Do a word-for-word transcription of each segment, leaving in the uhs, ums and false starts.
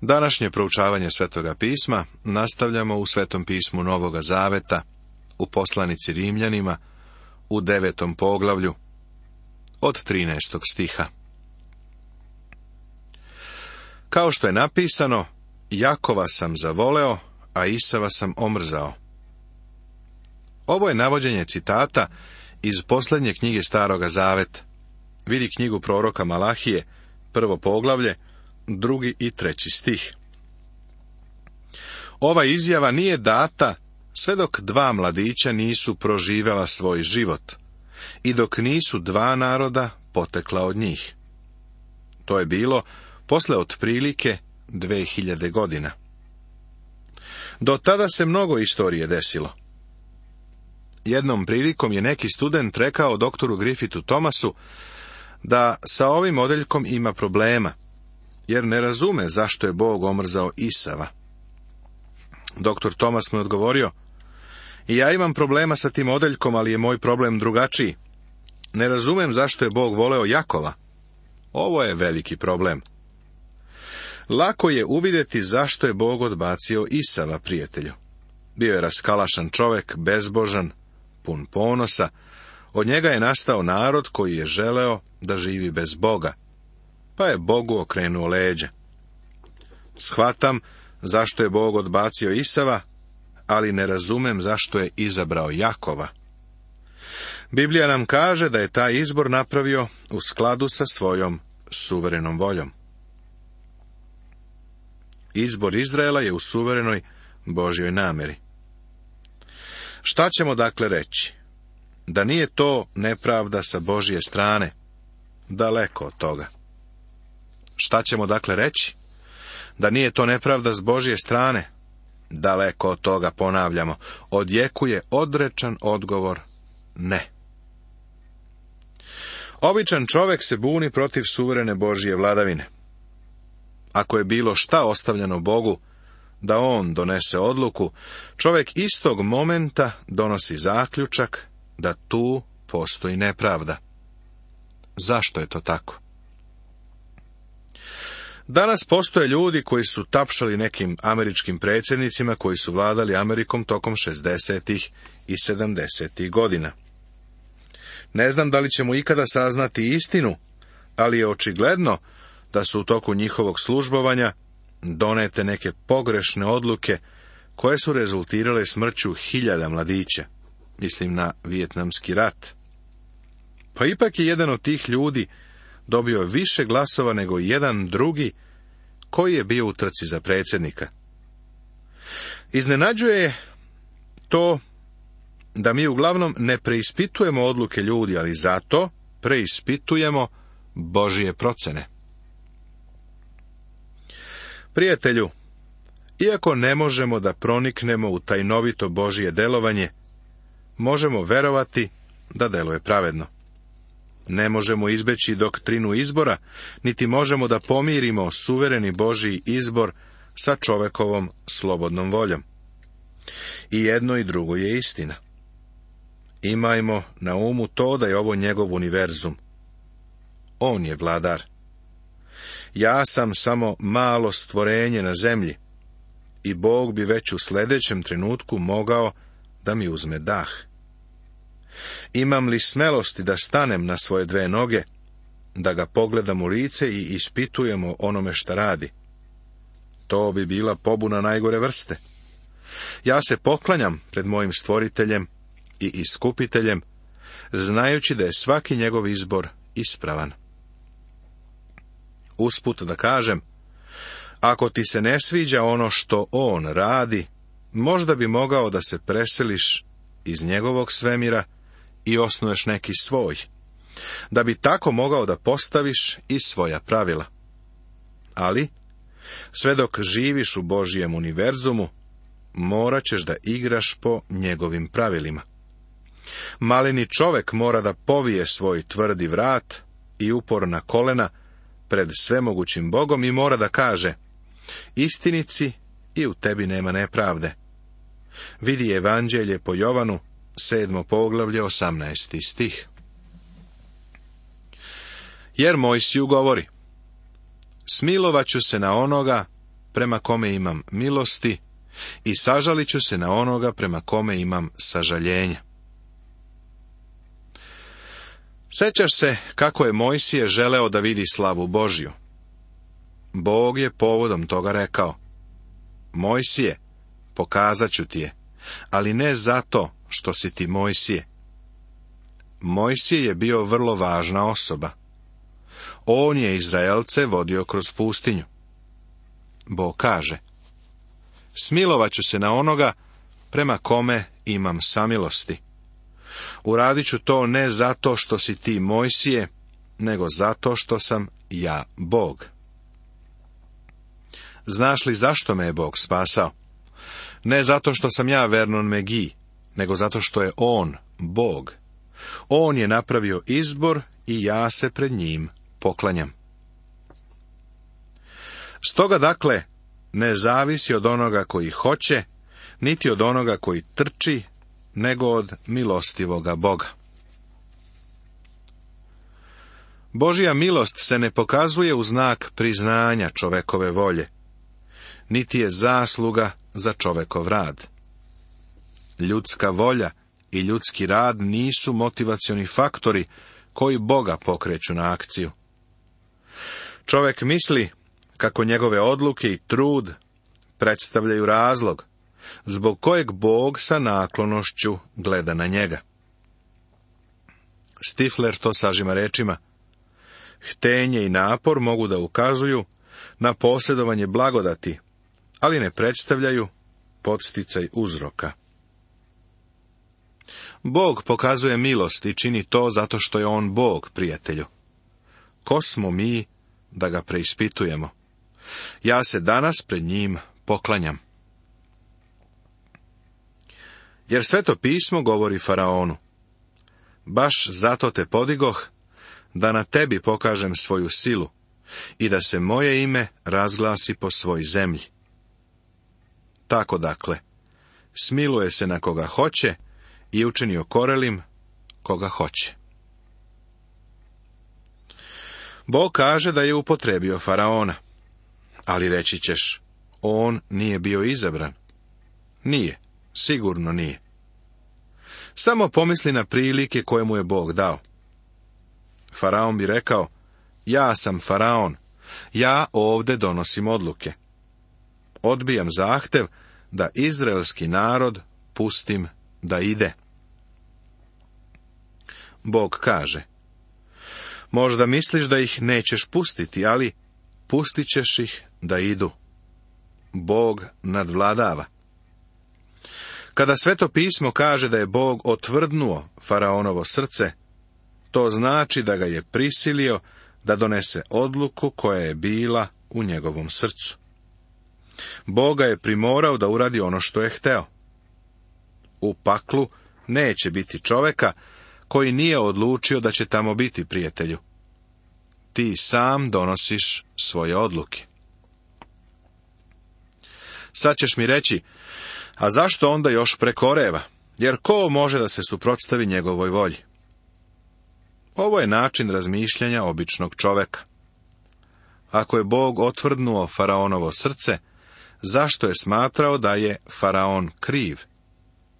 Današnje proučavanje Svetoga pisma nastavljamo u Svetom pismu Novoga Zaveta, u poslanici Rimljanima, u devetom poglavlju, od trinaestog stiha. Kao što je napisano, Jakova sam zavoleo, a Isava sam omrzao. Ovo je navođenje citata iz posljednje knjige Staroga Zaveta. Vidi knjigu proroka Malahije, prvo poglavlje, drugi i treći stih. Ova izjava nije data sve dok dva mladića nisu proživjela svoj život i dok nisu dva naroda potekla od njih. To je bilo posle otprilike dve hiljade godina. Do tada se mnogo istorije desilo. Jednom prilikom je neki student rekao doktoru Griffithu Thomasu da sa ovim odeljkom ima problema, jer ne razume zašto je Bog omrzao Isava. Doktor Thomas mu je odgovorio: I ja imam problema sa tim odeljkom, ali je moj problem drugačiji. Ne razumem zašto je Bog voleo Jakova. Ovo je veliki problem. Lako je uvidjeti zašto je Bog odbacio Isava, prijatelju. Bio je raskalašan čovjek, bezbožan, pun ponosa. Od njega je nastao narod koji je želeo da živi bez Boga, pa je Bogu okrenuo leđa. Shvatam zašto je Bog odbacio Isava, ali ne razumem zašto je izabrao Jakova. Biblija nam kaže da je taj izbor napravio u skladu sa svojom suverenom voljom. Izbor Izraela je u suverenoj Božjoj namjeri. Šta ćemo dakle reći? Da nije to nepravda sa Božje strane? Daleko od toga. Šta ćemo dakle reći? Da nije to nepravda s Božje strane? Daleko od toga, ponavljamo. Odjekuje odrečan odgovor: ne. Običan čovjek se buni protiv suverene Božje vladavine. Ako je bilo šta ostavljeno Bogu da on donese odluku, čovjek istog momenta donosi zaključak da tu postoji nepravda. Zašto je to tako? Danas postoje ljudi koji su tapšali nekim američkim predsjednicima koji su vladali Amerikom tokom šezdesetih i sedamdesetih godina. Ne znam da li ćemo ikada saznati istinu, ali je očigledno da su u toku njihovog službovanja donete neke pogrešne odluke koje su rezultirale smrću hiljada mladića. Mislim na Vijetnamski rat. Pa ipak je jedan od tih ljudi dobio više glasova nego jedan drugi koji je bio u trci za predsjednika. Iznenađuje to da mi uglavnom ne preispitujemo odluke ljudi, ali zato preispitujemo Božje procene. Prijatelju, iako ne možemo da proniknemo u tajnovito Božje delovanje, možemo verovati da deluje pravedno. Ne možemo izbeći doktrinu izbora, niti možemo da pomirimo suvereni Božji izbor sa čovekovom slobodnom voljom. I jedno i drugo je istina. Imajmo na umu to da je ovo njegov univerzum. On je vladar. Ja sam samo malo stvorenje na zemlji i Bog bi već u sljedećem trenutku mogao da mi uzme dah. Imam li smelosti da stanem na svoje dve noge, da ga pogledam u lice i ispitujemo onome šta radi? To bi bila pobuna najgore vrste. Ja se poklanjam pred mojim stvoriteljem i iskupiteljem, znajući da je svaki njegov izbor ispravan. Usput da kažem, ako ti se ne sviđa ono što on radi, možda bi mogao da se preseliš iz njegovog svemira i osnuješ neki svoj, da bi tako mogao da postaviš i svoja pravila. Ali, sve dok živiš u Božjem univerzumu, morat ćeš da igraš po njegovim pravilima. Maleni čovek mora da povije svoj tvrdi vrat i uporna kolena pred svemogućim Bogom i mora da kaže: istinici, i u tebi nema nepravde. Vidi Evanđelje po Jovanu, sedmo poglavlje, osamnaesti stih. Jer Mojsiju govori: smilovaću se na onoga prema kome imam milosti, i sažalit ću se na onoga prema kome imam sažaljenja. Sjećaš se kako je Mojsije želeo da vidi slavu Božju. Bog je povodom toga rekao: Mojsije, pokazat ću ti je, ali ne zato što si ti Mojsije. Mojsije je bio vrlo važna osoba. On je Izraelce vodio kroz pustinju. Bog kaže: smilovat ću se na onoga prema kome imam samilosti. Uradit ću to ne zato što si ti Mojsije, nego zato što sam ja Bog. Znaš li zašto me je Bog spasao? Ne zato što sam ja Vernon McGee, nego zato što je On Bog. On je napravio izbor i ja se pred njim poklanjam. Stoga dakle, ne zavisi od onoga koji hoće, niti od onoga koji trči, nego od milostivoga Boga. Božja milost se ne pokazuje u znak priznanja čovekove volje, niti je zasluga za čovekov rad. Ljudska volja i ljudski rad nisu motivacioni faktori koji Boga pokreću na akciju. Čovek misli kako njegove odluke i trud predstavljaju razlog zbog kojeg Bog sa naklonošću gleda na njega. Stifler to sažima rečima: htenje i napor mogu da ukazuju na posjedovanje blagodati, ali ne predstavljaju podsticaj uzroka. Bog pokazuje milost i čini to zato što je On Bog, prijatelju. Ko smo mi da ga preispitujemo? Ja se danas pred njim poklanjam. Jer Sveto pismo govori faraonu: baš zato te podigoh, da na tebi pokažem svoju silu i da se moje ime razglasi po svoj zemlji. Tako dakle, smiluje se na koga hoće i učini okorelim koga hoće. Bog kaže da je upotrebio faraona, ali reći ćeš: on nije bio izabran. Nije, sigurno nije. Samo pomisli na prilike koje mu je Bog dao. Faraon bi rekao: ja sam faraon, ja ovde donosim odluke. Odbijam zahtev da izraelski narod pustim da ide. Bog kaže: možda misliš da ih nećeš pustiti, ali pustit ćeš ih da idu. Bog nadvladava. Kada Sveto pismo kaže da je Bog otvrdnuo faraonovo srce, to znači da ga je prisilio da donese odluku koja je bila u njegovom srcu. Bog ga je primorao da uradi ono što je hteo. U paklu neće biti čoveka koji nije odlučio da će tamo biti, prijatelju. Ti sam donosiš svoje odluke. Sad ćeš mi reći: a zašto onda još prekoreva? Jer ko može da se suprotstavi njegovoj volji? Ovo je način razmišljanja običnog čoveka. Ako je Bog otvrdnuo faraonovo srce, zašto je smatrao da je faraon kriv?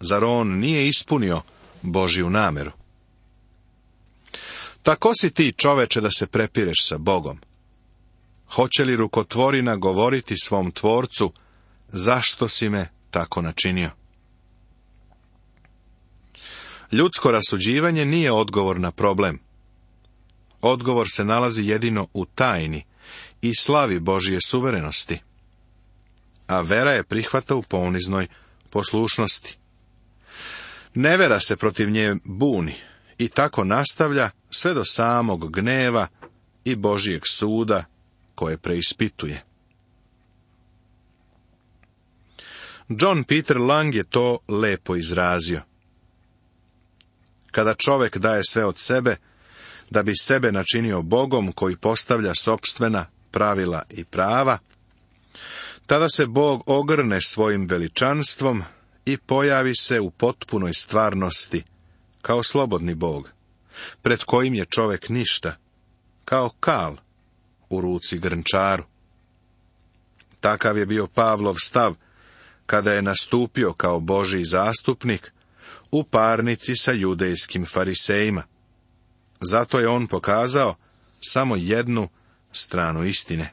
Zar on nije ispunio Božju nameru? Tako si ti, čoveče, da se prepireš sa Bogom. Hoće li rukotvorina govoriti svom tvorcu: zašto si me tako načinio? Ljudsko rasuđivanje nije odgovor na problem. Odgovor se nalazi jedino u tajni i slavi Božje suverenosti. A vera je prihvata u poniznoj poslušnosti. Nevera se protiv nje buni i tako nastavlja sve do samog gneva i Božjeg suda koje preispituje. John Peter Lang je to lepo izrazio. Kada čovek daje sve od sebe, da bi sebe načinio Bogom koji postavlja sopstvena pravila i prava, tada se Bog ogrne svojim veličanstvom i pojavi se u potpunoj stvarnosti, kao slobodni Bog, pred kojim je čovek ništa, kao kal u ruci grnčaru. Takav je bio Pavlov stav, kada je nastupio kao Božji zastupnik u parnici sa judejskim farisejima. Zato je on pokazao samo jednu stranu istine.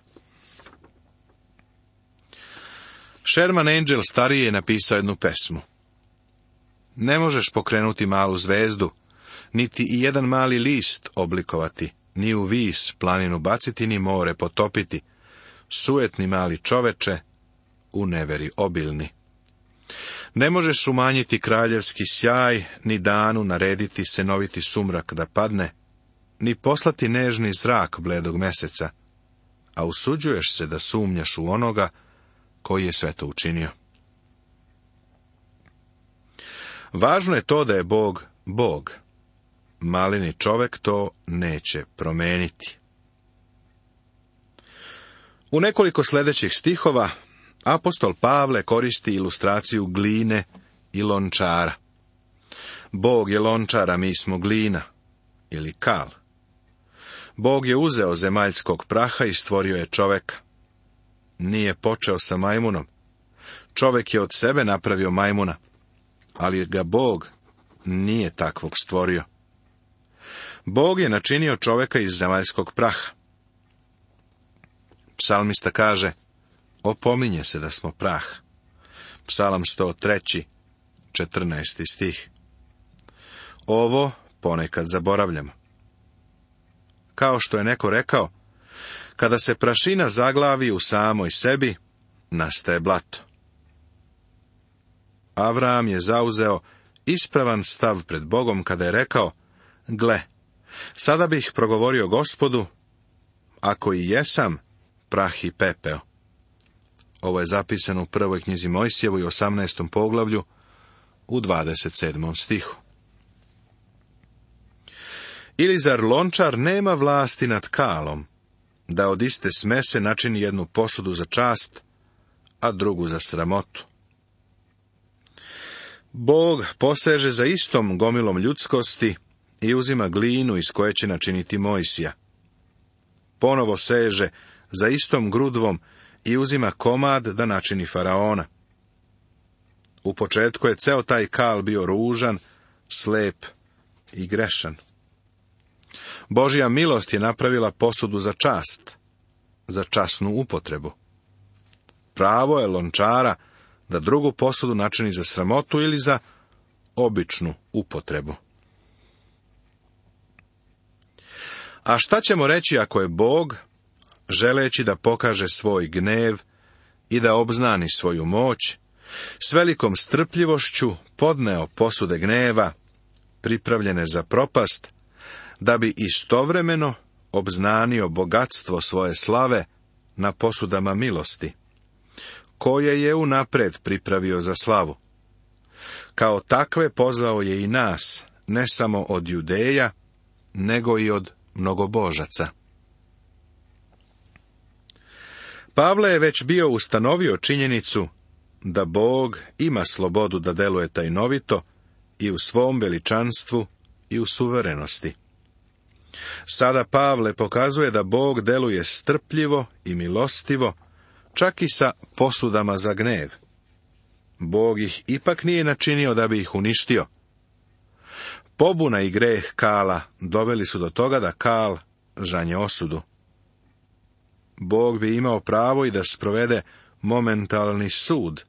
Sherman Angel stariji je napisao jednu pesmu. Ne možeš pokrenuti malu zvezdu, niti i jedan mali list oblikovati, ni u vis planinu baciti, ni more potopiti, sujetni mali čoveče, u neveri obilni. Ne možeš umanjiti kraljevski sjaj, ni danu narediti senoviti sumrak da padne, ni poslati nežni zrak bledog meseca, a usuđuješ se da sumnjaš u onoga koji je sve to učinio. Važno je to da je Bog Bog. Maleni čovek to neće promeniti. U nekoliko sljedećih stihova apostol Pavle koristi ilustraciju gline i lončara. Bog je lončar, a mi smo glina, ili kal. Bog je uzeo zemaljskog praha i stvorio je čoveka. Nije počeo sa majmunom. Čovek je od sebe napravio majmuna, ali ga Bog nije takvog stvorio. Bog je načinio čoveka iz zemaljskog praha. Psalmista kaže, opominje se da smo prah. Psalam sto tri, četrnaesti stih. Ovo ponekad zaboravljamo. Kao što je neko rekao, kada se prašina zaglavi u samoj sebi, nastaje blato. Avram je zauzeo ispravan stav pred Bogom kada je rekao, gle, sada bih progovorio Gospodu, ako i jesam, prah i pepeo. Ovo je zapisano u prvoj knjizi Mojsijevoj, osamnaestom poglavlju, u dvadeset sedmom stihu. Ili zar lončar nema vlasti nad kalom, da od iste smese načini jednu posudu za čast, a drugu za sramotu? Bog poseže za istom gomilom ljudskosti i uzima glinu iz koje će načiniti Mojsija. Ponovo seže za istom grudvom i uzima komad da načini faraona. U početku je ceo taj kal bio ružan, slep i grešan. Božja milost je napravila posudu za čast, za časnu upotrebu. Pravo je lončara da drugu posudu načini za sramotu ili za običnu upotrebu. A šta ćemo reći ako je Bog, želeći da pokaže svoj gnev i da obznani svoju moć, s velikom strpljivošću podneo posude gneva, pripravljene za propast, da bi istovremeno obznanio bogatstvo svoje slave na posudama milosti, koje je unapred pripravio za slavu. Kao takve pozvao je i nas, ne samo od Judeja, nego i od mnogobožaca. Pavle je već bio ustanovio činjenicu da Bog ima slobodu da deluje tajnovito i u svom veličanstvu i u suverenosti. Sada Pavle pokazuje da Bog deluje strpljivo i milostivo, čak i sa posudama za gnev. Bog ih ipak nije načinio da bi ih uništio. Pobuna i greh Kala doveli su do toga da Kal žanje osudu. Bog bi imao pravo i da sprovede momentalni sud,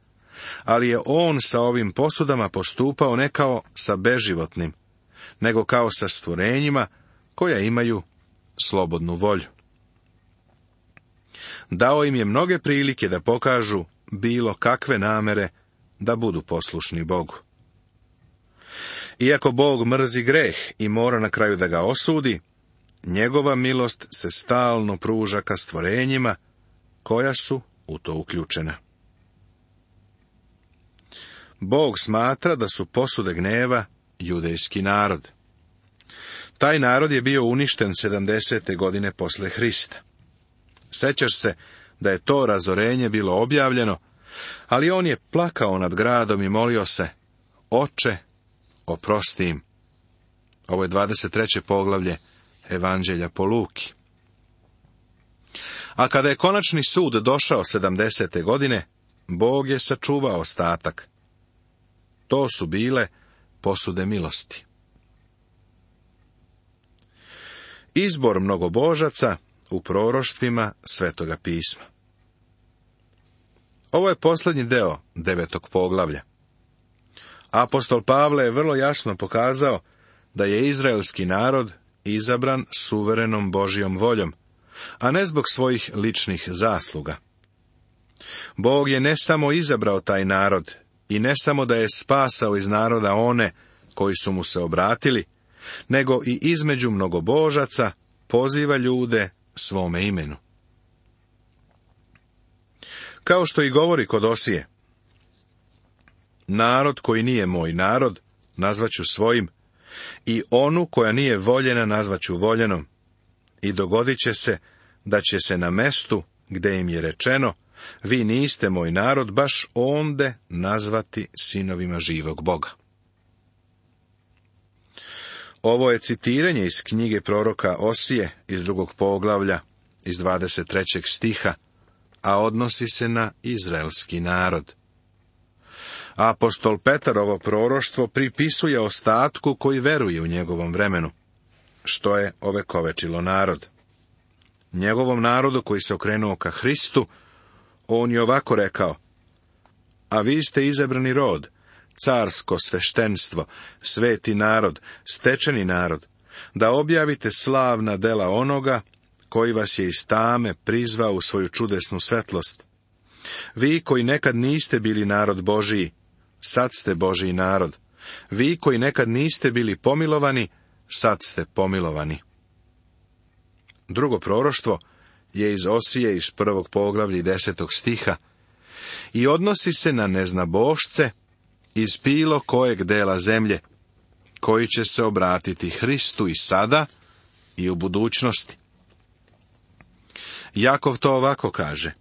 ali je on sa ovim posudama postupao ne kao sa beživotnim, nego kao sa stvorenjima koja imaju slobodnu volju. Dao im je mnoge prilike da pokažu bilo kakve namere da budu poslušni Bogu. Iako Bog mrzi greh i mora na kraju da ga osudi, njegova milost se stalno pruža ka stvorenjima koja su u to uključena. Bog smatra da su posude gneva judejski narod. Taj narod je bio uništen sedamdesete godine posle Hrista. Sećaš se da je to razorenje bilo objavljeno, ali on je plakao nad gradom i molio se, Oče, oprosti im. Ovo je dvadeset treće poglavlje Evanđelja po Luki. A kada je konačni sud došao sedamdesete godine, Bog je sačuvao ostatak. To su bile posude milosti. Izbor mnogobožaca u proroštvima Svetoga pisma. Ovo je posljednji deo devetog poglavlja. Apostol Pavle je vrlo jasno pokazao da je izraelski narod izabran suverenom Božjom voljom, a ne zbog svojih ličnih zasluga. Bog je ne samo izabrao taj narod i ne samo da je spasao iz naroda one koji su mu se obratili, nego i između mnogobožaca poziva ljude svome imenu. Kao što i govori kod Osije, narod koji nije moj narod, nazvaću svojim, i onu koja nije voljena nazvaću voljenom, i dogodit će se da će se na mestu gde im je rečeno, vi niste moj narod, baš onde nazvati sinovima živog Boga. Ovo je citiranje iz knjige proroka Osije iz drugog poglavlja, iz dvadeset trećeg stiha, a odnosi se na izraelski narod. Apostol Petar ovo proroštvo pripisuje ostatku koji veruje u njegovom vremenu, što je ovekovečilo narod. Njegovom narodu koji se okrenuo ka Hristu, on je ovako rekao, a vi ste izabrani rod, carsko sveštenstvo, sveti narod, stečeni narod, da objavite slavna dela onoga koji vas je iz tame prizvao u svoju čudesnu svetlost. Vi koji nekad niste bili narod Božiji, sad ste Božiji narod. Vi koji nekad niste bili pomilovani, sad ste pomilovani. Drugo proroštvo je iz Osije iz prvog poglavlja i desetog stiha i odnosi se na neznabošce iz bilo kojeg dela zemlje, koji će se obratiti Hristu i sada i u budućnosti. Jakov to ovako kaže,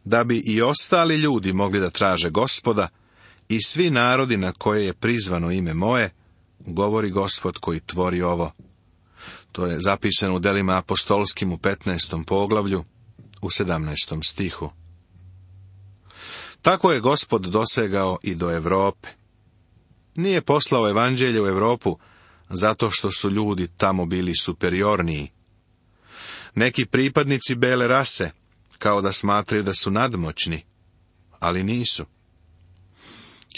da bi i ostali ljudi mogli da traže Gospoda i svi narodi na koje je prizvano ime moje, govori Gospod koji tvori ovo. To je zapisano u delima apostolskim u petnaestom poglavlju, u sedamnaestom stihu. Tako je Gospod dosegao i do Europe. Nije poslao evanđelje u Europu zato što su ljudi tamo bili superiorniji. Neki pripadnici bele rase, kao da smatraju da su nadmoćni, ali nisu.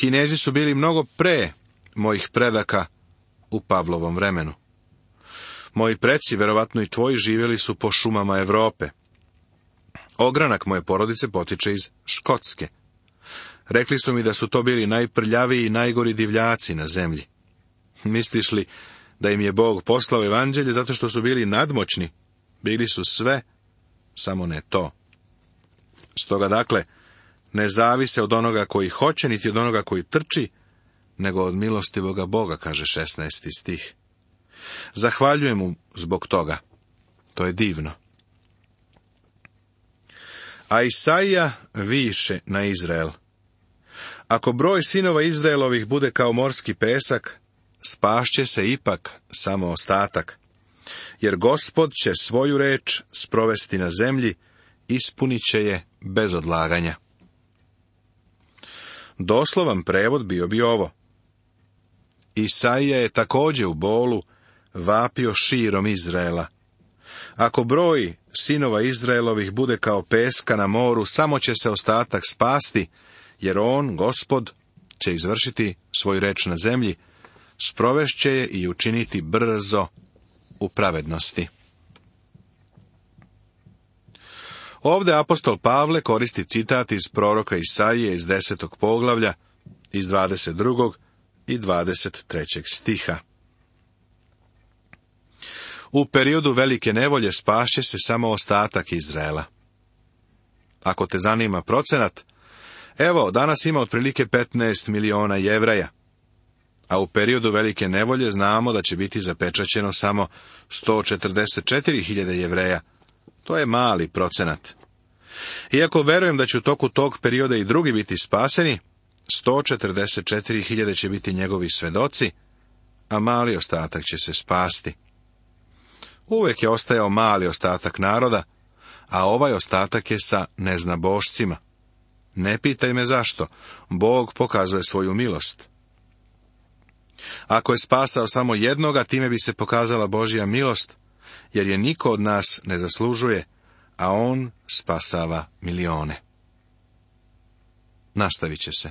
Kinezi su bili mnogo pre mojih predaka u Pavlovom vremenu. Moji preci, verovatno i tvoji, živjeli su po šumama Europe. Ogranak moje porodice potiče iz Škotske. Rekli su mi da su to bili najprljaviji i najgori divljaci na zemlji. Misliš li da im je Bog poslao evanđelje zato što su bili nadmoćni? Bili su sve, samo ne to. Stoga dakle, ne zavise od onoga koji hoće, niti od onoga koji trči, nego od milostivoga Boga, kaže šesnaesti stih. Zahvaljujem mu zbog toga. To je divno. A Isaija više na Izrael. Ako broj sinova Izraelovih bude kao morski pesak, spašće se ipak samo ostatak. Jer Gospod će svoju reč sprovesti na zemlji, ispunit će je bez odlaganja. Doslovan prevod bio bi ovo. Isaija je također u bolu vapio širom Izraela. Ako broj sinova Izraelovih bude kao peska na moru, samo će se ostatak spasti, jer on, Gospod, će izvršiti svoju reč na zemlji, sprovešće je i učiniti brzo u pravednosti. Ovdje apostol Pavle koristi citat iz proroka Isaije iz desetog poglavlja, iz dvadeset drugog i dvadeset trećeg stiha. U periodu velike nevolje spašće se samo ostatak Izraela. Ako te zanima procenat, evo, danas ima otprilike petnaest miliona Jevreja, a u periodu velike nevolje znamo da će biti zapečaćeno samo sto četrdeset četiri hiljade Jevreja. To je mali procenat. Iako verujem da će u toku tog perioda i drugi biti spaseni, sto četrdeset četiri hiljade će biti njegovi svedoci, a mali ostatak će se spasti. Uvijek je ostajao mali ostatak naroda, a ovaj ostatak je sa neznabošcima. Ne pitaj me zašto, Bog pokazuje svoju milost. Ako je spasao samo jednoga, time bi se pokazala Božja milost, jer je niko od nas ne zaslužuje, a on spasava milione. Nastavit će se.